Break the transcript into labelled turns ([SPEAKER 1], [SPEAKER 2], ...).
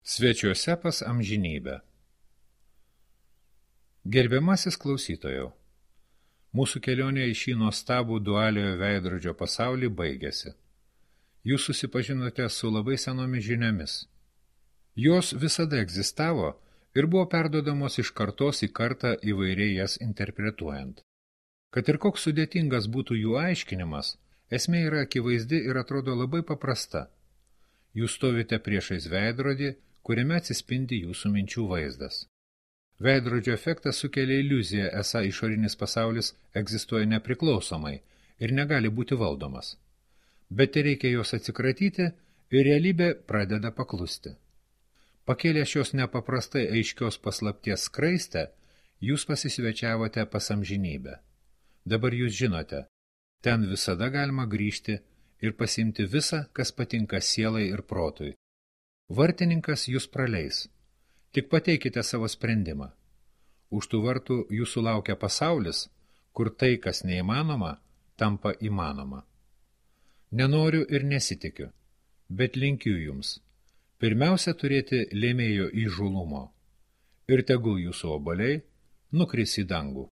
[SPEAKER 1] Svečiuose pas amžinybę. Gerbiamasis klausytojau, mūsų kelionė į šį nuostabų dualiojo veidrodžio pasaulį baigėsi. Jūs susipažinote su labai senomis žiniomis. Jos visada egzistavo ir buvo perduodamos iš kartos į kartą įvairiai jas interpretuojant. Kad ir koks sudėtingas būtų jų aiškinimas, esmė yra akivaizdi ir atrodo labai paprasta. Jūs stovite priešais veidrodį, kuriame atsispindi jūsų minčių vaizdas. Veidrodžio efektas sukelia iliuziją, esą išorinis pasaulis egzistuoja nepriklausomai ir negali būti valdomas. Bet reikia jos atsikratyti ir realybė pradeda paklusti. Pakėlę šios nepaprastai aiškios paslapties skraistę, jūs pasisvečiavote pas amžinybę. Dabar jūs žinote, ten visada galima grįžti ir pasiimti visą, kas patinka sielai ir protui. Vartininkas jūs praleis. Tik pateikite savo sprendimą. Už tų vartų jūsų laukia pasaulis, kur tai, kas neįmanoma, tampa įmanoma. Nenoriu ir nesitikiu, bet linkiu jums. Pirmiausia turėti lėmėjo įžūlumo. Ir tegul jūsų obuoliai nukris į dangų.